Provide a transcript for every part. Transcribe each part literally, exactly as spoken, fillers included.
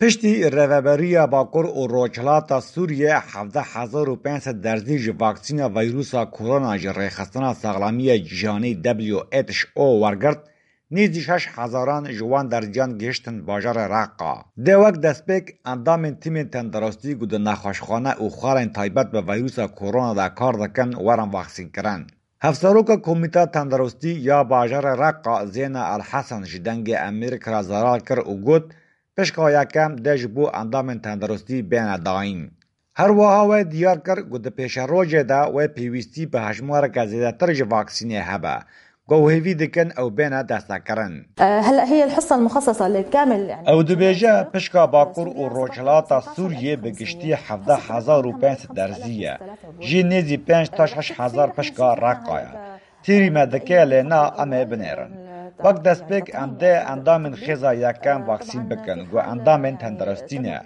Piştî Rêveberiya Bakur û Rojhilata Sûriyê hevdeh hezar û pênc sed derzî ji vaksîna vîrusa korona ji Rêxistina Saxlamiya Cîhanî W H O wergirt, nêzî şeş hezaran ji wan derziyan gihiştin bajarê Reqa. Dê wek destpêk endamên tîmên tendirustî ku di nexweşxane û xwarên taybet bi vîrusa korona de kar dikin werin vaksînkirin. Hevseroka Komîta Tendirustî ya bajarê Reqa Zêna El Hesen ji Dengê Amerîka re zelal kir û got, pişka yekem dê ji bo endamên tendirustî bêne dayîn. Her wiha we diyar kir ku di pêşerojê de wê pêwîstî bi hejmareke zêdetir ji vaksînê hebe, ku ew hêvî dikin ew bêne destekirin. هلا هي الحصه المخصصه لكامل يعني Ew dibêje, pişka Bakur û Rojhilata Sûriyê bi giştî hevdeh hezar û pênc sed derzî ye. Jî nêzî pênc ta şeş hezar pişka Reqa ye. Têrî me dike, lê na em ê binêrin. Wek destpêk em dê endamên xêza yekem vaksîn bikin, ku endamên tendirustî ne.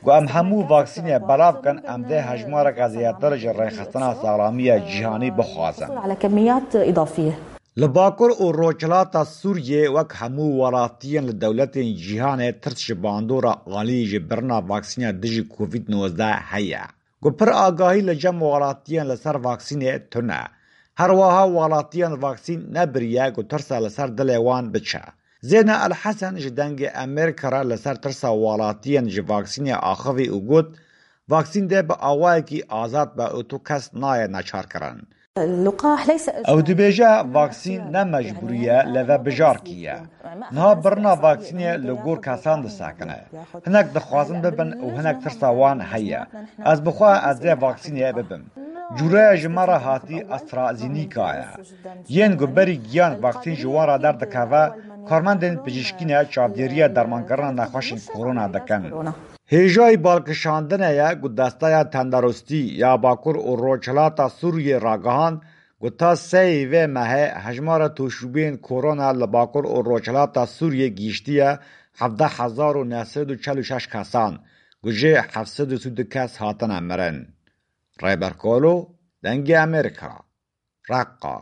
Ku em hemû vaksînê belav kin, em dê hejmareke zêdetir ji Rêxistina Saxlamiya Cîhanî bixwazin. على كميات اضافيه Li Bakur û Rojhilata Sûriyê wek hemû welatiyên li dewletên cîhanê tirs ji bandora alî ji birina vaksîna dijî Covid nozdeh heye. Ku pir agahî li cem welatiyên li ser vaksînê tune. Her wiha welatiyên vaksîn nebiriye ku tirsa li ser dilê wan biçe. Zêna El Hesen ji Dengê Amerîka re li ser tirsa welatiyên ji vaksînê axivî û got, vaksîn dê bi awayekî azad be û tu kes nayê neçarkirin. اللقاح ليس Ew dibêje, vaksîn ne mecbûrî ye, lê vebijarkî ye. Niha birina vaksînê li gor kesan disekine. Hinek dixwazin bibin û hinek tirsa wan heye. Ez bi xwe ez dê vaksînê bibim. Cûreya ji me re hatî AstraZeneca ye. Yên ku berî giyan vaksîn ji wan re derdikeve, karmendên pijîşkî ne çavdêriya dermankirina nexweşên korona dikin. Hêjayî balkişandine ye ku Desteya Tenderustî ya Bakur û Rojhilata Sûriyê ragihand ku ta seyê vê mehê hejmara tûşbûyên korona li Bakur û Rojhilata Sûriyê gihîştiye hevdeh hezar û neh sed û çel û şeş kesan, ku jê heft sed û sî du kes hatine mirin. Rêber Kolo, Dengê Amerîka, Reqa.